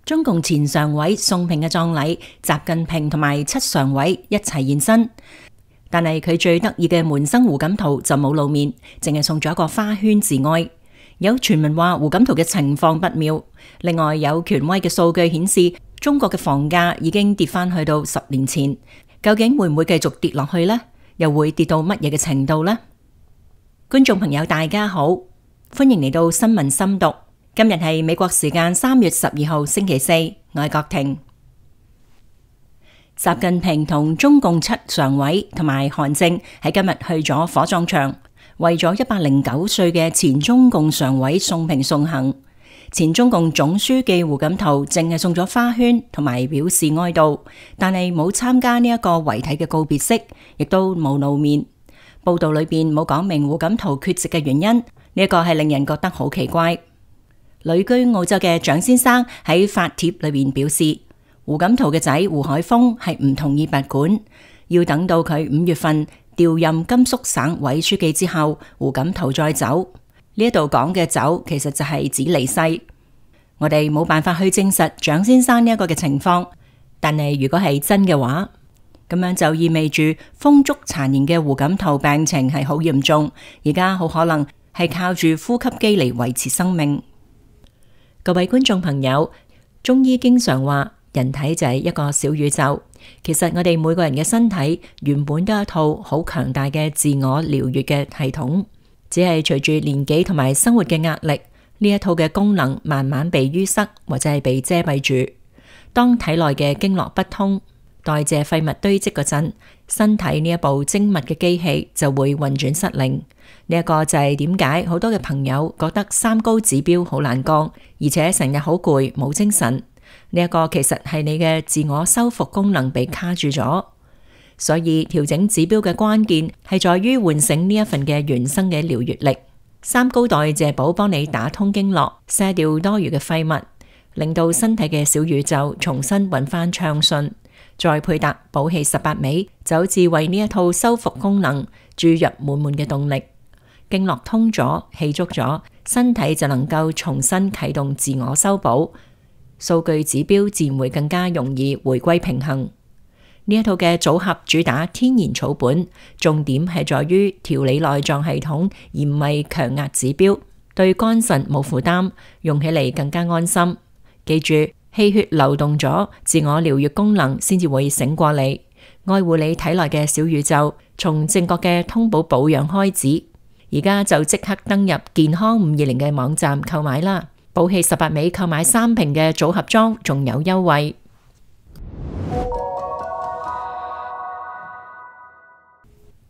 中共前常委宋平嘅葬禮，習近平同埋7常委一齊現身，但係佢最得意嘅門生胡錦濤就冇露面，淨係送咗一個花圈致哀。有傳聞話胡錦濤嘅情況不妙，另外有權威嘅數據顯示，中國嘅房價已經跌返去到10年前，究竟會唔會繼續跌落去呢？又會跌到乜嘢嘅程度呢？觀眾朋友大家好，歡迎嚟到新聞深讀。今日係美國時間3月12號星期四，我係郭婷。習近平同中共7常委同埋韓正喺今日去咗火葬場，為咗109歲嘅前中共常委宋平送行。前中共總書記胡錦濤淨係送咗花圈同埋表示哀悼，但係冇參加呢一個遺體嘅告別式，亦都冇露面。報道裏邊冇講明胡錦濤缺席嘅原因，呢一個係令人覺得好奇怪。旅居澳洲嘅蔣先生喺發帖裏邊表示，胡錦濤嘅仔胡海峰係唔同意拔管，要等到佢5月份調任甘肅省委書記之後，胡錦濤再走。呢一度講嘅走，其實就係指離世。我哋冇辦法去證實蔣先生呢一個嘅情況，但係如果係真嘅話，咁樣就意味住風燭殘年嘅胡錦濤病情係好嚴重，而家好可能係靠住呼吸機嚟維持生命。各位觀眾朋友，中醫經常話人體就係一個小宇宙，其實我哋每個人嘅身體原本都有一套好強大嘅自我療癒嘅系統，只係隨住年紀同埋生活嘅壓力，呢一套嘅功能慢慢被淤塞或者係被遮蔽住。當體內嘅經絡不通，代謝廢物堆積嗰陣，身體呢一部精密嘅機器就會運轉失靈。呢一個就係點解好多嘅朋友覺得三高指標好難降，而且成日好攰冇精神。呢一個其實係你嘅自我修復功能被卡住咗，所以調整指標嘅關鍵係在於喚醒呢一份嘅原生嘅療癒力。三高代謝寶幫你打通經絡，卸掉多餘嘅廢物，令到身體嘅小宇宙重新運翻暢順。再配搭補氣18味，就好似為呢一套修復功能注入滿滿嘅動力。經絡通咗，氣足咗，身體就能夠重新啟動自我修補，數據指標自然會更加容易回歸平衡。呢一套嘅組合主打天然草本，重點係在於調理內臟系統，而唔係強壓指標，對肝腎冇負擔，用起嚟更加安心。記住，氣血流動咗，自我療癒功能先至會醒過嚟，愛護你體內嘅小宇宙，從正確嘅通寶保養開始。而家就即刻登入健康520嘅網站購買啦！補氣18味購買3瓶嘅組合裝，仲有優惠。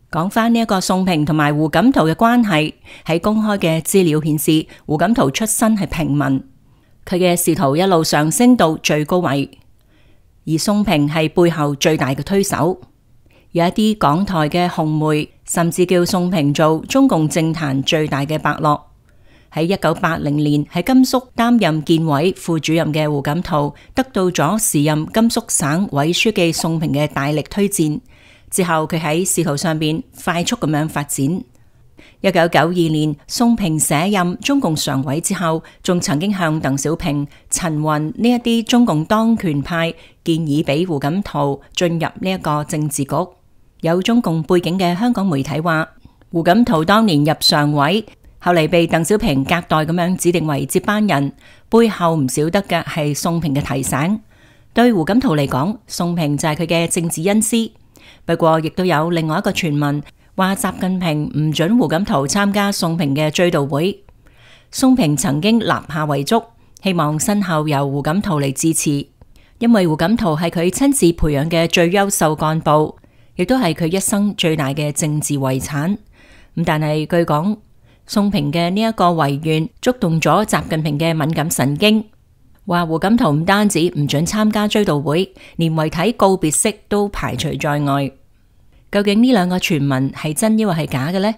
講返呢一個宋平同埋胡錦濤嘅關係，喺公開嘅資料顯示，胡錦濤出身係平民，佢嘅仕途一路上升到最高位，而宋平係背後最大嘅推手。有一啲港台嘅紅媒甚至叫宋平做中共政壇最大嘅伯樂。喺1980年喺甘肅擔任建委副主任嘅胡錦濤，得到咗時任甘肅省委書記宋平嘅大力推薦。之後佢喺仕途上邊快速咁樣發展。1992年宋平卸任中共常委之後，仲曾經向鄧小平、陳雲呢一啲中共當權派建議俾胡錦濤進入呢一個政治局。有中共背景嘅香港媒體話，胡錦濤當年入常委，後嚟被鄧小平隔代咁樣指定為接班人，背後唔少得嘅係宋平嘅提醒。對胡錦濤嚟講，宋平就係佢嘅政治恩師。不過亦都有另外一個傳聞話，習近平唔准胡錦濤參加宋平嘅追悼會。宋平曾經立下遺囑，希望身後由胡錦濤嚟支持，因為胡錦濤係佢親自培養嘅最優秀幹部，亦都係佢一生最大嘅政治遺產。咁但係據講，宋平嘅呢一個遺願觸動咗習近平嘅敏感神經，話胡錦濤唔單止唔准參加追悼會，連遺體告別式都排除在外。究竟呢兩個傳聞係真抑或係假嘅呢？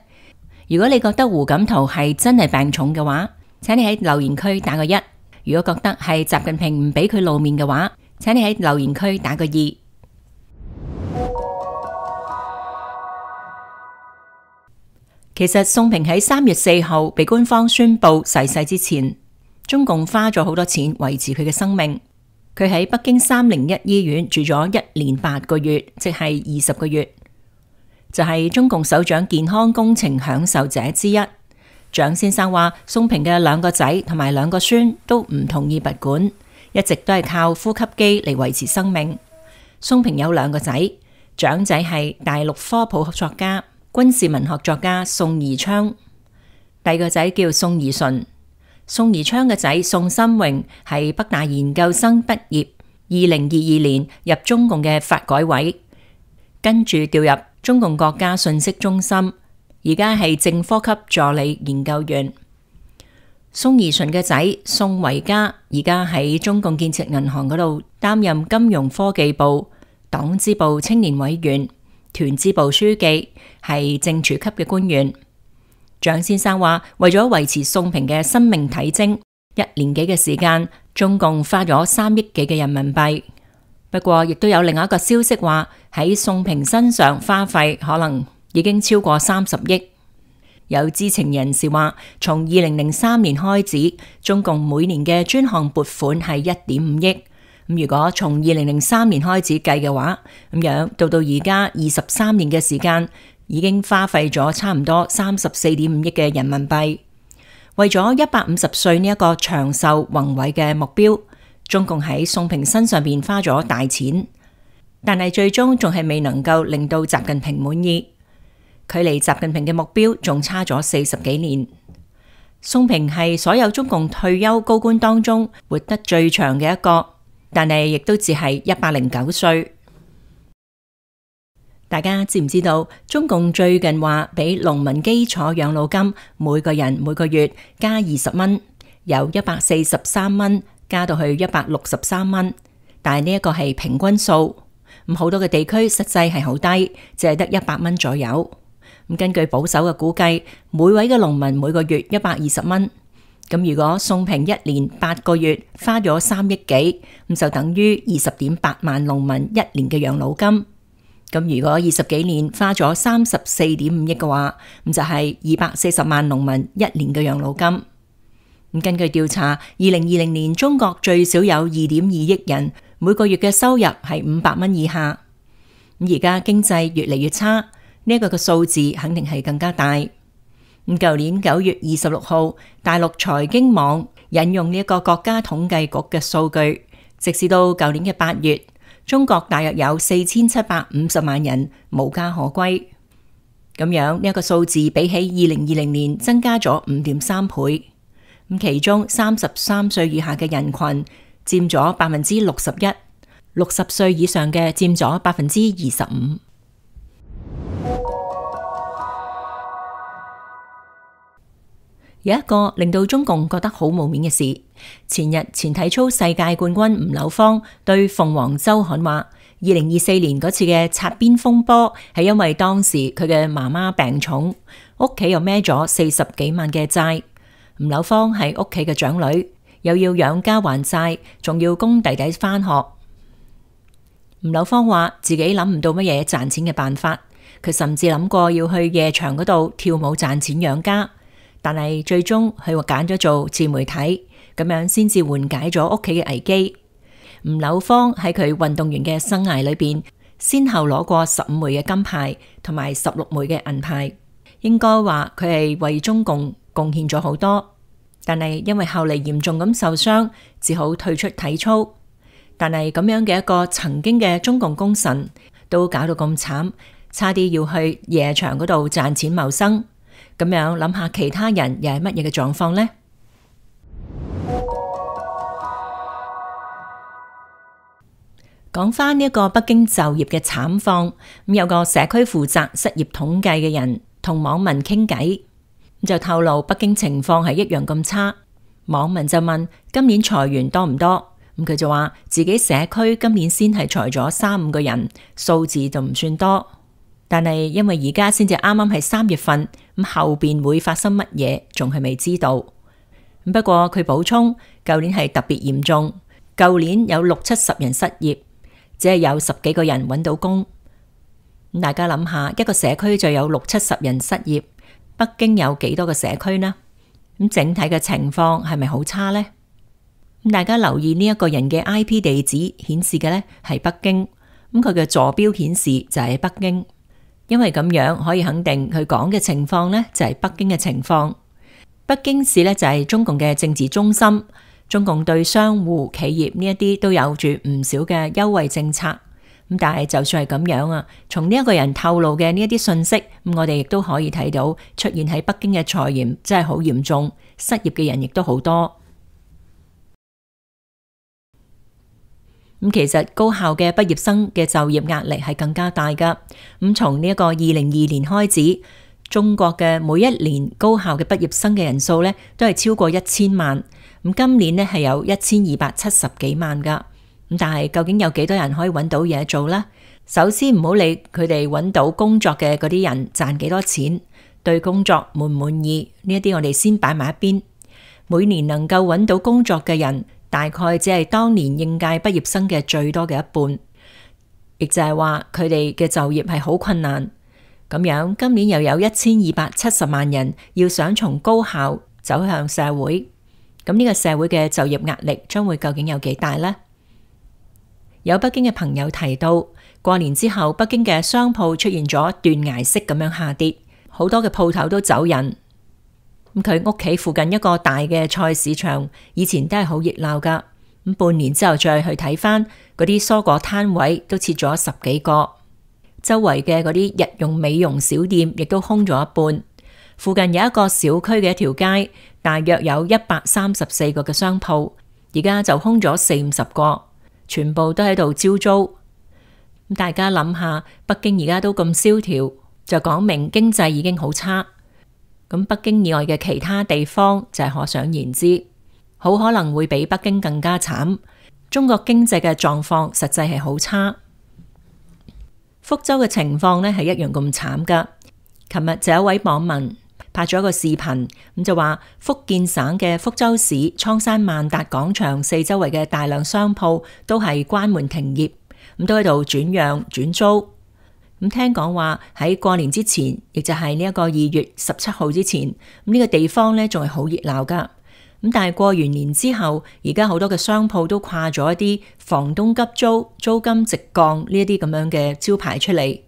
如果你覺得胡錦濤係真係病重嘅話，請你喺留言區打個1；如果覺得係習近平唔俾佢露面嘅話，請你喺留言區打個2。其實宋平喺3月4號被官方宣布逝世之前，中共花咗好多錢維持佢嘅生命。佢喺北京301醫院住咗1年8個月，即係20個月，就係中共首長健康工程享受者之一。蔣先生話，宋平嘅2個仔同埋2個孫都唔同意拔管，一直都係靠呼吸機嚟維持生命。宋平有2個仔，長仔係大陸科普作家、軍事文學作家宋宜昌，第2個仔叫宋宜順。宋宜昌嘅仔宋新榮係北大研究生畢業，2022年入中共嘅發改委，跟住調入中共國家信息中心，而家係正科級助理研究員。宋宜順嘅仔宋維嘉而家喺中共建設銀行嗰度擔任金融科技部黨支部青年委員、團支部書記，係正處級嘅官員。蔣先生話，為咗維持宋平嘅生命體徵，1年幾嘅時間，中共花咗3億幾嘅人民幣。不過，亦都有另外一個消息話，喺宋平身上花費可能已經超過30億。有知情人士話，從2003年開始，中共每年嘅專項撥款係1.5億。咁如果從2003年開始計嘅話，咁樣到而家23年嘅時間，已經花費咗差唔多34.5億嘅人民幣。為咗150歲呢一個長壽宏偉嘅目標，中共喺宋平身上邊花咗大錢，但係最終仲係未能夠令到習近平滿意。距離習近平嘅目標仲差咗40幾年。宋平係所有中共退休高官當中活得最長嘅一個，但係亦都只係109歲。大家知唔知道中共最近話俾農民基礎養老金每個人每個月加20蚊，由143蚊加到去163蚊，但係呢一個係平均數，咁好多嘅地區實際係好低，只係得100蚊左右。咁根據保守嘅估計，每位嘅農民每個月120蚊，咁如果宋平1年8個月花咗3億幾，咁就等於20.8萬農民1年嘅養老金。咁如果20幾年花咗34.5億嘅話，咁就係240萬農民1年嘅養老金。咁根據調查，2020年中國最少有2.2億人每個月嘅收入係500蚊以下。咁而家經濟越嚟越差，呢一個嘅數字肯定係更加大。咁舊年9月26號，大陸財經網引用呢一個國家統計局嘅數據，直至到舊年嘅8月。中國大約有4750萬人無家可歸，咁樣呢一個數字比起2020年增加咗5.3倍。咁其中33歲以下嘅人群佔咗61%，60歲以上嘅佔咗25%。有一個令到中共覺得好冇面嘅事，前日前體操世界冠軍吳柳芳對鳳凰週刊話，2024年嗰次嘅擦邊風波係因為當時佢嘅媽媽病重，屋企又孭咗40幾萬嘅債。吳柳芳係屋企嘅長女，又要養家還債，仲要供弟弟返學。吳柳芳話自己諗唔到乜嘢賺錢嘅辦法，佢甚至諗過要去夜場嗰度跳舞賺錢養家。但係最終佢揀咗做自媒體，咁樣先至緩解咗屋企嘅危機。吳柳芳喺佢運動員嘅生涯裏邊，先後攞過15枚嘅金牌同埋16枚嘅銀牌，應該話佢係為中共貢獻咗好多。但係因為後嚟嚴重咁受傷，只好退出體操。但係咁樣嘅一個曾經嘅中共功臣，都搞到咁慘，差啲要去夜場嗰度賺錢謀生。咁樣諗下，其他人又係乜嘢嘅狀況呢？講翻呢一個北京就業嘅慘況，咁有個社區負責失業統計嘅人同網民傾偈，咁就透露北京情況係一樣咁差。網民就問今年裁員多唔多？咁佢就話自己社區今年先係裁咗3-5個人，數字就唔算多。但係因為而家先至啱啱係3月份，咁後邊會發生乜嘢，仲係未知道。不過佢補充，舊年係特別嚴重，舊年有60-70人失業，只係有10幾個人揾到工。咁大家諗下，一個社區就有60-70人失業，北京有幾多個社區呢？咁整體嘅情況係咪好差呢？大家留意呢一個人嘅 IP 地址顯示嘅呢係北京，咁佢嘅坐標顯示就係北京，因為咁樣可以肯定佢講嘅情況呢就係北京嘅情況。北京市呢就係中共嘅政治中心，中共對商戶企業呢一啲都有住唔少嘅優惠政策。咁但係就算係咁樣啊，從呢一個人透露嘅呢一啲信息，咁我哋亦都可以睇到出現喺北京嘅財炎真係好嚴重，失業嘅人亦都好多。咁其實高校嘅畢業生嘅就業壓力係更加大噶。咁從呢一個2022年開始，中國嘅每一年高校嘅畢業生嘅人數呢都係超過1000萬。咁今年呢係有1270幾萬噶。咁但係究竟有幾多人可以揾到嘢做呢？首先唔好理佢哋揾到工作嘅嗰啲人賺幾多錢，對工作滿唔滿意呢一啲我哋先擺埋一邊。每年能夠揾到工作嘅人，大概只係當年應屆畢業生嘅最多嘅一半，亦就係話佢哋嘅就業係好困難。咁樣今年又有1270萬人要想從高校走向社會，咁呢個社會嘅就業壓力將會究竟有幾大呢？有北京嘅朋友提到，過年之後北京嘅商鋪出現咗斷崖式咁樣下跌，好多嘅鋪頭都走人。咁佢屋企附近一個大嘅菜市場，以前都係好熱鬧噶。咁半年之後再去睇翻嗰啲蔬果攤位，都設咗10幾個。周圍嘅嗰啲日用美容小店亦都空咗一半。附近有一個小區嘅一條街，大約有134個嘅商鋪，而家就空咗40-50個，全部都喺度招租。咁大家諗下，北京而家都咁蕭條，就講明經濟已經好差。咁北京以外嘅其他地方就係可想而知，好可能會比北京更加慘。中國經濟嘅狀況實際係好差。福州嘅情況呢係一樣咁慘噶。琴日就有一位網民拍咗一個視頻，咁就話福建省嘅福州市蒼山萬達廣場四周圍嘅大量商鋪都係關門停業，咁都喺度轉讓轉租。咁聽講話喺過年之前，亦就係呢一個2月17號之前，咁呢個地方呢仲係好熱鬧噶。咁但係過完年之後，而家好多嘅商鋪都掛咗一啲房東急租、租金直降呢一啲咁樣嘅招牌出嚟。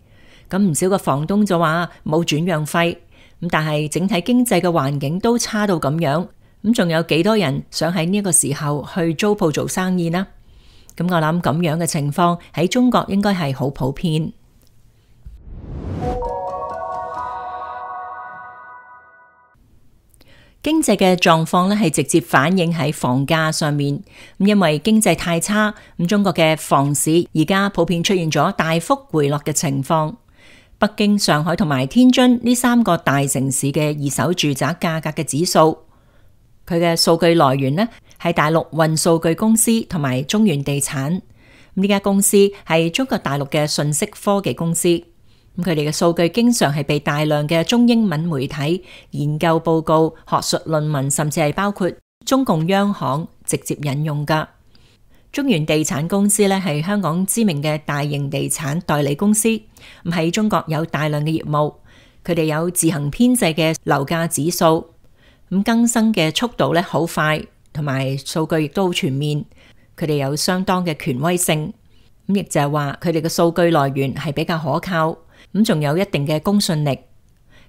咁唔少個房東就話冇轉讓費。咁但係整體經濟嘅環境都差到咁樣，咁仲有幾多人想喺呢個時候去租鋪做生意呢？咁我諗咁樣嘅情況喺中國應該係好普遍。經濟嘅狀況呢係直接反映喺房價上面，咁因為經濟太差，咁中國嘅房市而家普遍出現咗大幅回落嘅情況。北京、上海同埋天津呢3個大城市嘅二手住宅價格嘅指數，佢嘅數據來源呢係大陸雲數據公司同埋中原地產。呢家公司係中國大陸嘅信息科技公司。咁佢哋嘅數據經常係被大量嘅中英文媒體、研究報告、學術論文，甚至係包括中共央行直接引用噶。中原地產公司咧係香港知名嘅大型地產代理公司，咁喺中國有大量嘅業務。佢哋有自行編製嘅樓價指數，咁更新嘅速度咧好快，同埋數據亦都好全面。佢哋有相當嘅權威性，咁亦就係話佢哋嘅數據來源係比較可靠。咁仲有一定嘅公信力，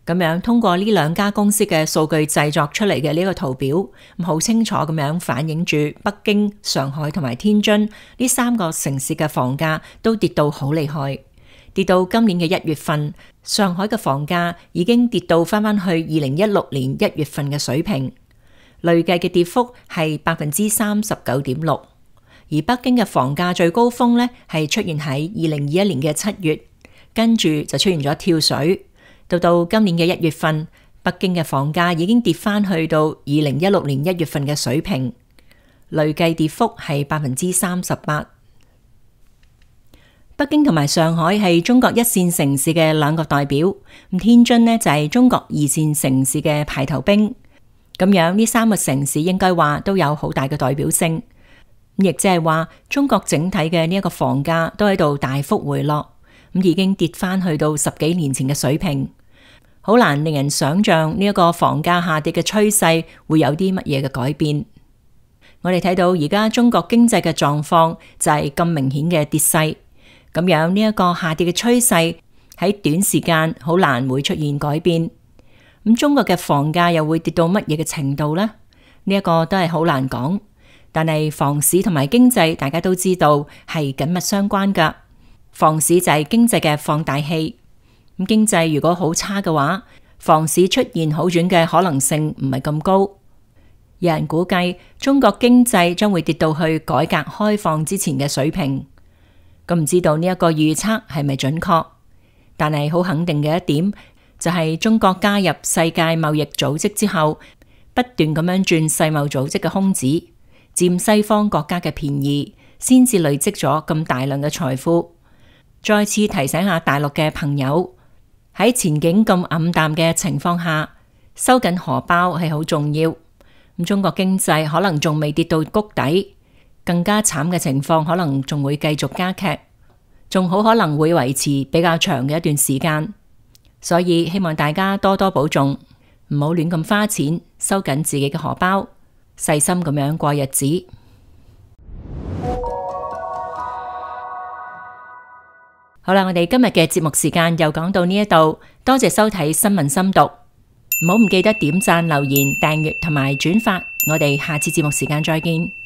咁樣通過呢2家公司嘅數據製作出嚟嘅呢個圖表，咁好清楚咁樣反映住北京、上海同埋天津呢3個城市嘅房價都跌到好厲害，跌到今年嘅1月份，上海嘅房價已經跌到翻去2016年1月份嘅水平，累計嘅跌幅係39.6%，而北京嘅房價最高峰呢係出現喺2021年嘅7月。跟住就出現咗跳水，到今年嘅1月份，北京嘅房價已經跌翻去到2016年1月份嘅水平，累計跌幅係38%。北京同埋上海係中國1線城市嘅2個代表，咁天津呢就係中國2線城市嘅排頭兵。咁樣呢3個城市應該話都有好大嘅代表性，亦即係話中國整體嘅呢一個房價都喺度大幅回落。咁已經跌翻去到10幾年前嘅水平，好難令人想象呢一個房價下跌嘅趨勢會有啲乜嘢嘅改變。我哋睇到而家中國經濟嘅狀況就係咁明顯嘅跌勢，咁樣呢一個下跌嘅趨勢喺短時間好難會出現改變。咁中國嘅房價又會跌到乜嘢嘅程度呢？呢一個都係好難講。但係房市同埋經濟大家都知道係緊密相關噶，房市就係經濟嘅放大器。咁經濟如果好差嘅話，房市出現好轉嘅可能性唔係咁高。有人估計中國經濟將會跌到去改革開放之前嘅水平，咁唔知道呢一個預測係咪準確？但係好肯定嘅一點就係中國加入世界貿易組織之後，不斷咁樣轉世貿組織嘅空子，佔西方國家嘅便宜，先至累積咗咁大量嘅財富。再次提醒下大陸嘅朋友，喺前景咁暗淡嘅情況下，收緊荷包係好重要。咁中國經濟可能仲未跌到谷底，更加慘嘅情況可能仲會繼續加劇，仲好可能會維持比較長嘅一段時間。所以希望大家多多保重，唔好亂咁花錢，收緊自己嘅荷包，細心咁樣過日子。好啦，我哋今日嘅節目時間又講到呢一度，多謝收睇新聞深讀。唔好唔記得點讚、留言、訂閱同埋轉發，我哋下次節目時間再見。